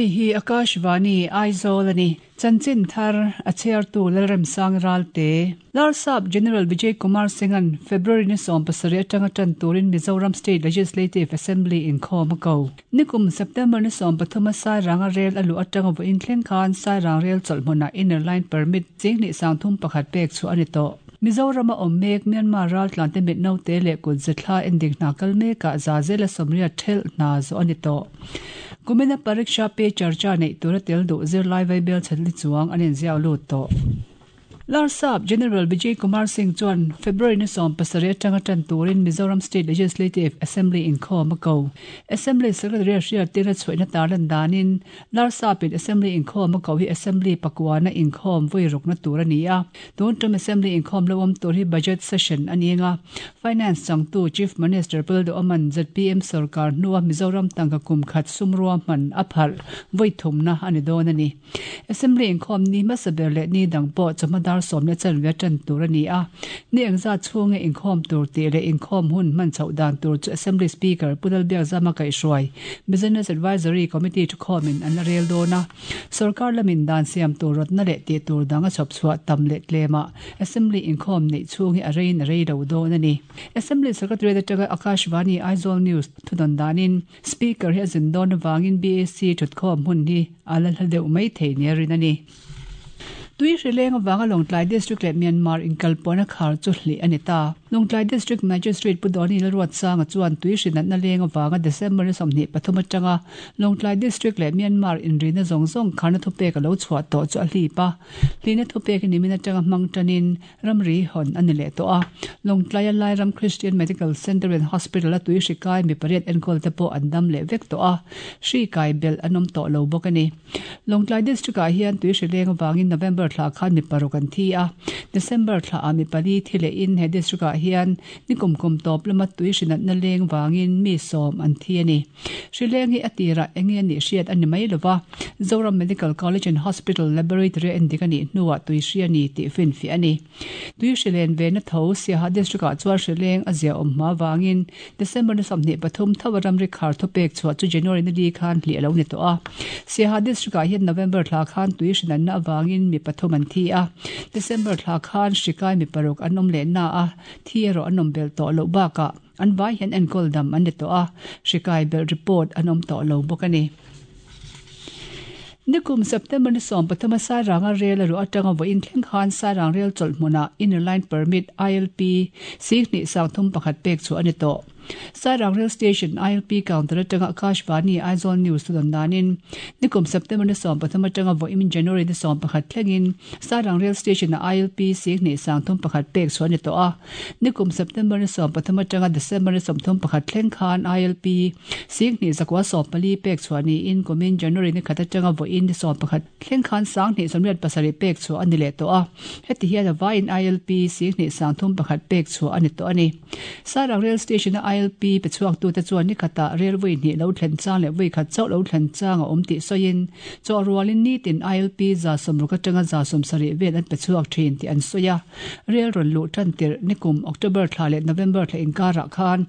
Hei hi Akashvani, Aizawl a ni. Chanchin thar a chhiartu Lalremsang Ralte. Larsap General Vijay Kumar Singh-a'n February ni 17 atanga tan turin Mizoram State Legislative Assembly inkhawm a ko. Nikum September ni 13 a Sairanga rel a luh atanga vawiin thleng khan Sairang rel chawlh hmunah Inner Line Permit ching 231 pek chhuah a ni tawh. Mizorama awm mek Myanmar raltlante mit naute leh kut zethla endik hna kal mekah za zela 80 thelh hna zawh a ni tawh. Kumina Pariksha Pe Charcha neih tura tel duh zirlai vaibel chhatli chuang an inziak lut tawh. Larsap General Vijay Kumar Singh chuan February ni 17 atanga tan turin Mizoram State Legislative Assembly inkhawm a ko. Assembly Secretary a hriattirna chhuahna tarlan danin Larsapin Assembly inkhawm a ko hi Assembly pakuana inkhawm vawi rukna tur a ni a. Tun tum Assembly inkhawm lo awm tur hi Budget Session a ni anga Finance changtu Chief Minister Pu Lalduhoman zpm sarkar hnua Mizoram tangka kum khat sumrua hman a phalh vawi thumna a ni dawn a ni. Assembly inkhawm ni hmasa ber leh ni dang pawh chawhma dar sawm leh chanve tan tur a ni a. Ni engzat chhunga inkhawm tur tih leh inkhawm hun hman chhoh dan tur chu Assembly Speaker Pu Lalbiakzama kaihhruai Business Advisory Committee thukhawmin an la rel dawn a. Sorkar lamin dan siam tur rawtna leh tih tur dang a chhawp chhuah tam leh tlemah Assembly inkhawm neih chhung hi a reiin a rei lo dawn a ni. Assembly Secretariat atanga Akashvani Aizawl News thudawn danin Speaker hi a zin dawn avangin BAC thutkhawm hmun hi a la hla deuh mai thei nia rin a ni. Tui hrileng avanga Lawngtlai District leh Myanmar inkalpawhna khar chu hlih a ni ta. Lawngtlai District Magistrate Pu Dawni Lalruatsanga chuan tui hrinatna leng avanga December ni 23 atanga Lawngtlai District leh Myanmar inrina zawng zawng kharna thupek a lo chhuah tawh chu a hlip a. Hlihna thupek nimin atanga hmang tanin ramri hawn a ni leh tawh a. Lawngtlaia Lairam Christian Medical Centre and Hospital a tui hri kai mi pariat enkawl te pawh an dam leh vek tawh a, hri kai belh an awm tawh lo bawk a ni. Lawngtlai District ah hian tui hri leng avangin November thla khan mi paruk an thi a, December thla ah mi pali thi lehin he district ah hian ni kum kum tawp lama tui hri natna leng vangin mi sawm an thi a ni. Hri leng hi a tirah eng nge nih hriat a ni mai lova, Zoram Medical College and Hospital Laboratory a endik a nih hnuah tui hri a ni tih finfiah a ni. Tui hri len ve na tho Siaha District ah chuan hri leng a zia awm hma vangin December ni 23 tho a ramri khar thupek chhuah chu January ni li khan hlih a lo ni tawh a. Siaha District ah hian November thla khan tui hri natna avangin mi pathum an thi a, December thla khan hri kai mi paruk an awm leh na a, thi erawh an awm belh tawh loh bakah An vai hian enkawl dam an ni tawh a, hri kai belh report an awm tawh lo bawk a ni. Nikum September ni 13 a Sairanga rel a ruah atanga vawiin thleng khan Sairang rel chawlh hmunah Inner Line Permit, ILP, 2331 pek chhuah a ni tawh. Sairang Rail Station ILP counter atanga Akashvani Aizawl News thudawn danin nikum September ni 13 atanga vawiin January ni 11 thlengin Sairang Rail Station-ah ILP 2331 pek chhuah a ni tawh a. Nikum September ni 13 atanga December ni 31 thleng khan ILP 2914 pek chhuah niin kumin January ni khat atanga vawiin ni 11 thleng khan 2027 pek chhuah a ni leh tawh a. Heti hian a vaiin ILP 2331 pek chhuah a ni tawh a ni. Sairang Rail Station-a ILP pe chhuaktute chuan ni khatah rel vawi hnih lo thlen chang leh vawi khat chauh lo thlen chang a awm tih sawiin chawh rualin nitin ILP 160 atanga 170 vel an pe chhuak thin tih an sawi a. Rel rawn luh tan tirh nikum October thla leh November thla inkarah khan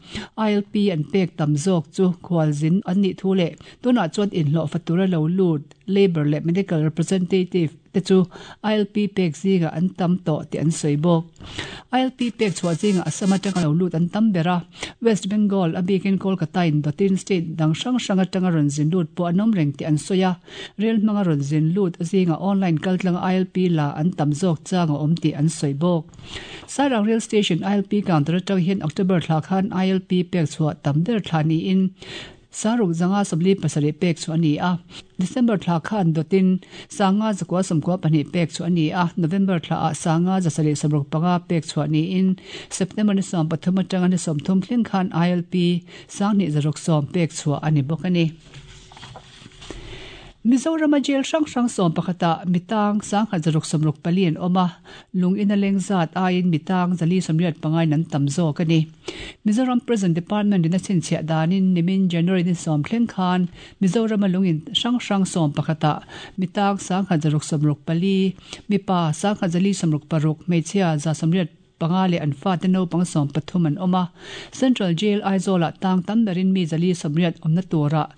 ILP an pek tam zawk chu khualzin an nih thu leh tunah chuan inhlawhfa tura lo lut Labour leh Medical Representative te chu ILP pek zingah an tam tawh tih an sawi bawk. ILP pek chhuah zingah Assam atanga lo lut an tam ber a, West Bengal a bikin Kolkata in dawtin state dang hrang hrang atanga rawn zin lut pawh an awm reng tih an sawi a, rel hmanga rawn zin lut zingah online kaltlanga ILP la an tam zawk chang a awm tih an sawi bawk. Sairang Rail Station ILP counter atang hian October thla khan ILP pek chhuah tam ber thla niin Saruk zanga 47 pek chu a ni a, December thla khan dawtin sanga zakua 92 pek chu a ni a, November thla ah sanga 765 pek chhuah niin September ni 13 atanga ni 30 thleng khan ILP 2610 pek chhuah a ni bawk a ni. Mizorama jail hrang hrang 11 ah mitang 1664 an awm a, lung in a leng zat aiin mitang 485 in an tam zawk a ni. Mizoram Prison Department in a chhinchhiah danin nimin January ni 10 thleng khan Mizorama lung in hrang hrang 11 ah mitang 1664, mipa 1466, hmeichhia 185 leh an fate naupang 13 an awm a. Central Jail Aizawl ah tang tam berin mi 480 awmna turah.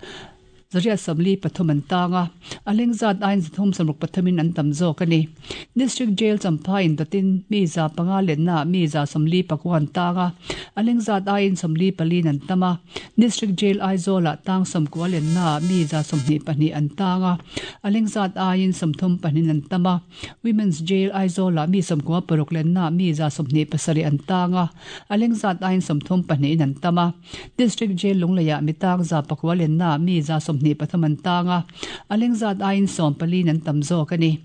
843 an tang a, a leng zat aiin 363 in an tam zawk a ni. District Jail Champhai indawtin mi 500 lennaah mi 49 an tang a, a leng zat aiin 44 in an tam a. District Jail Aizawl-ah tang 90 lennaah mi 22 an tang a, a leng zat aiin 34 in an tam a. Women's Jail Aizawl-ah mi 96 lennaah mi 27 an tang a, a leng zat aiin 34 in an tam a. District Jail Lungleiah mi tang 900 lennaah mi 23 an tang a, a leng zat aiin 14 in an tam zawk a ni.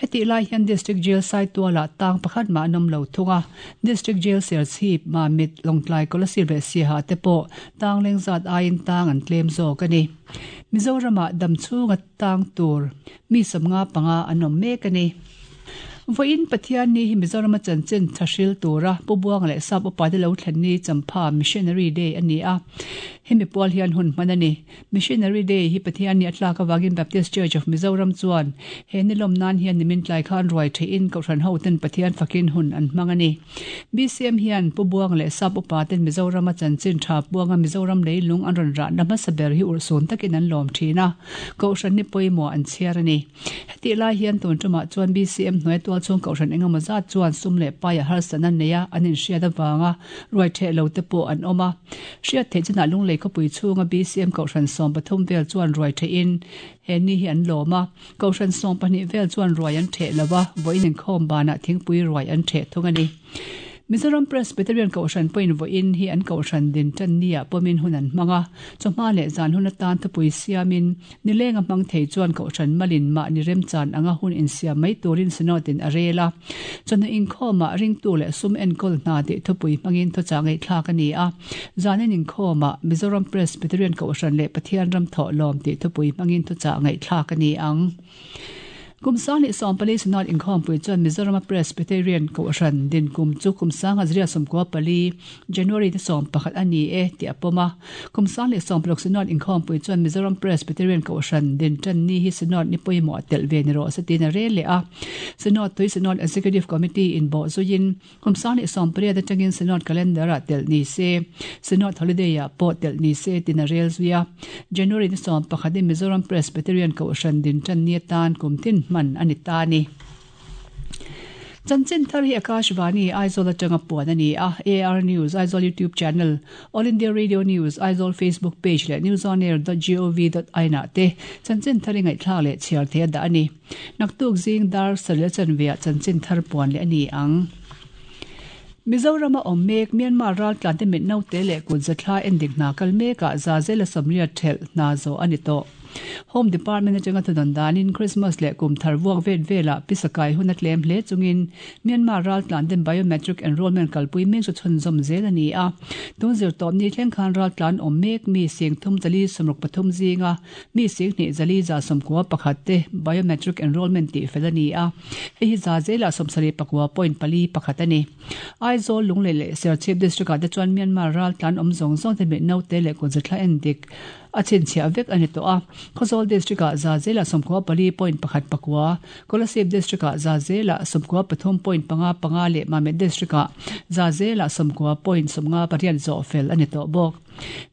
Hetih lai hian District Jail Saitualah tang pakhat mah an awm lo thung a, District Jail Serchhip, Mamit, Lawngtlai, Kolasib leh Siaha te pawh tang leng zat aiin tang an tlem zawk a ni. Mizoramah dam chhunga tang tur mi 55 an awm mek a ni. Vawiin Pathian ni hi Mizorama chanchin tha hril tura Pu Buanga leh Sap Upa te lo thlen ni Champha Missionary Day a ni a, hemi pual hian hun hman a ni. Missionary Day hi Pathian ni a tlak avangin Baptist Church of Mizoram chuan he ni lawm nan hian nimin tlai khan ruai theihin Kohhran hoten Pathian fakin hun an hmang a ni. BCM hian Pu Buanga leh Sap Upa ten Mizorama chanchin tha Buanga Mizoram leilung an rawn rahna hmasa ber hi urhsun takin an lawm thin a, Kohhran ni pawimawh an chhiar a ni. Hetih lai hian tun tumah chuan BCM hnuai tualchhung Kohhran engemaw zat chuan sum leh paia harsatna neia an inhriat avanga ruai theh lo te pawh an awm a. Hriat theih chinah Lunglei khawpui chhunga BCM Kohhran 13 vel chuan ruai thehin he ni hi an lawm a. Kohhran 12 vel chuan ruai an theh lo a, vawiin inkhawm banah thingpui ruai an theh thung a ni. Mizoram Presbyterian Kohhran pawhin vawiin hi an Kohhran din tan niah pawmin hun an hmang a, chawhma leh zan hun atan thupui siamin Nilenga hmang thei chuan Kohhran malin mahni remchan anga hun insiam mai turin Synod-in a rel a. Chawhnu inkhawmah ringtu leh sum enkawl hna tih thupui hmangin thuchah ngaihthlak a ni a. Zanin inkhawmah Mizoram Presbyterian Kohhran leh Pathian ram thawhlawm tih thupui hmangin thuchah ngaihthlak a ni ang. Kum 2014 Synod inkhawmpui chuan Mizorama Presbyterian Kohhran din kum chu kum 1994 January ni 11 a ni e tih a pawm a. Kum 2016 Synod inkhawmpui chuan Mizoram Presbyterian Kohhran din tan ni hi Synod ni pawimawh a telh ve ni rawh se tiin a rel leh a. Synod tui Synod Executive Committee in bawh zuiin Kum 2018 atangin Synod Calendar-ah telh ni se, Synod Holiday-ah pawh telh ni se tiin a rel zui a. January ni 11 in Mizoram Presbyterian Kohhran din tan ni atan kum tin hman a ni ta a ni. Chanchin thar hi Akashvani, Aizawl atanga puan a ni a, AR News, Aizawl YouTube Channel, All India Radio News, Aizawl Facebook Page leh newsonair dot gov dot in ah te chanchin thar i ngaihthlak leh chhiar thei a dah a ni. Naktuk zing dar saril chanveah chanchin thar puan leh a ni ang. Mizorama awm mek Myanmar raltlante mit naute leh kut zathla endik hna kal mekah Zazela Sawmriat thelh hna zawh a ni tawh. Home Department atanga thudawn danin Christmas leh kum thar vuak vet velah pisakai hun a tlem hle chungin Myanmar raltlanten biometric enrollment kalpui mek chu chhunzawm zel a ni a. Tun zirtawpni thleng khan raltlan awm mek mi sing thum zali 63 zinga Mi 20 191 te biometric enrollment tih fel a ni a, hei hi za zelah 79.41 a ni. Aizawl, Lunglei leh Serchhip District ah te chuan Myanmar ral tlan awm zawng zawng te mit naute leh kutzathla en dik a chhinchhiah vek a ni tawh a. Khawzawl District ah za zelah 94.19, Kolasib District ah za zelah 93.55 leh Mamit District ah za zelah 90.58 zawh fel a ni tawh bawk.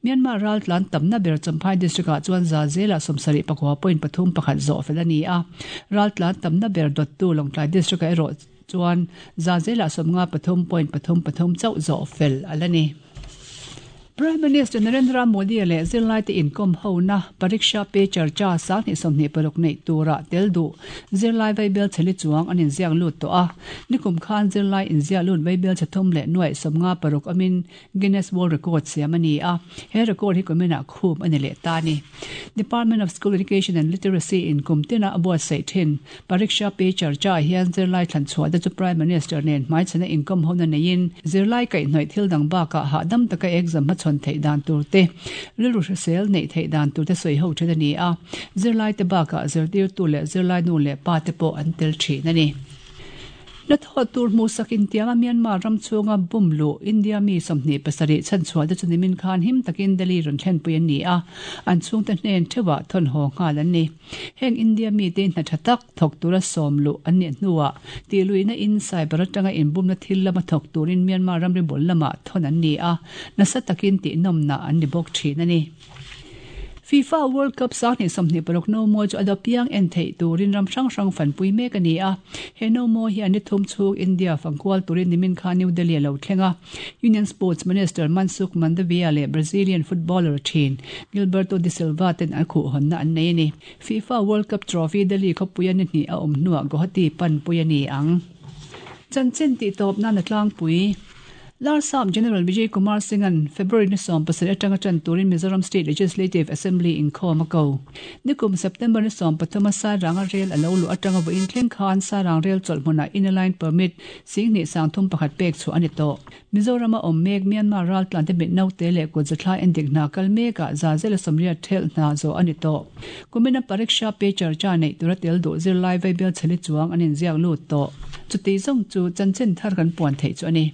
Myanmar raltlan tamna ber Champhai District ah chuan za zelah 79.31 zawh fel a ni a, raltlan tamna ber dawttu Lawngtlai District ah erawh chuan za zelah 53.33 chauh zawh fel a la ni. Prime Minister Narendra Modi leh zirlaite inkawm hona Pariksha Pe Charcha 2026 neih turah tel duh zirlai vaibel chheli chuang an inziak lut tawh a, nikum khan zirlai inziak lut vaibel chhe thum leh nuaih 56 awmin Guinness World Record siam a ni a, he record hi kuminah khum a ni leh ta a ni. Department of School Education and Literacy in kum tina a buatsaih thin Pariksha Pe Charcha ah hian zirlai thlan chhuah te chu Prime Minister nen hmaichhana inkawm hona neiin zirlai kaihhnawih thil dang bakah hahdam taka exam hmachhawn theih dan tur te, rilru hrisel neih theih dan tur te sawi ho thin a ni a, zirlai te bakah zirtirtu leh zirlai nu leh pa te pawh an tel thin a ni. Hnathawh tur hmuhsak intianga Myanmar ram chhunga bum luh India mi 27 chhanchhuah te chu nimin khan him takin Delhi rawn thlenpui an ni a, an chhungte hnen theuhah thawnhaw nghal an ni. Heng India mite hna tha tak thawk tura sawm luh an nih hnuah tihluihna in cyber atanga inbumna thil lama thawk turin Myanmar ramri bul lamah thawn an ni a, nasa takin tihnawmna an ni bawk thin a ni. FIFA World Cup 2026 nomawi chu a dapiang en theih turin ram hrang hrang fanpui mek a ni a. He nomawi hian ni thum chhung India fangkual turin nimin khan New Delhi a lo thleng a. Union Sports Minister Mansukh Mandaviya leh Brazilian footballer thin Gilberto da Silva ten an khuhhawnna an nei a ni. FIFA World Cup trophy Delhi khawpuia ni hnih a awm hnuah Guwahati panpui a ni ang. Chanchin tihtawp nan a tlangpui. Larsap General Vijay Kumar Singh-a'n February ni 17 atanga tan turin Mizoram State Legislative Assembly inkhawm a ko. Nikum September ni 13 a Sairanga rel a lo luh atanga vawiin thleng khan Sairang rel chawlh hmunah Inner Line Permit 2301 pek chhuah a ni tawh. Mizorama awm mek Myanmar raltlante mit naute leh kut zathlai endik hna kal mekah za zela sawmriat thelh hna zawh a ni tawh. Kumina Pariksha Pe Charcha neih tura tel duh zirlai vaibel chheli chuang an inziak lut tawh. Chuti zawng chu chanchin thar kan puan theih chu a ni.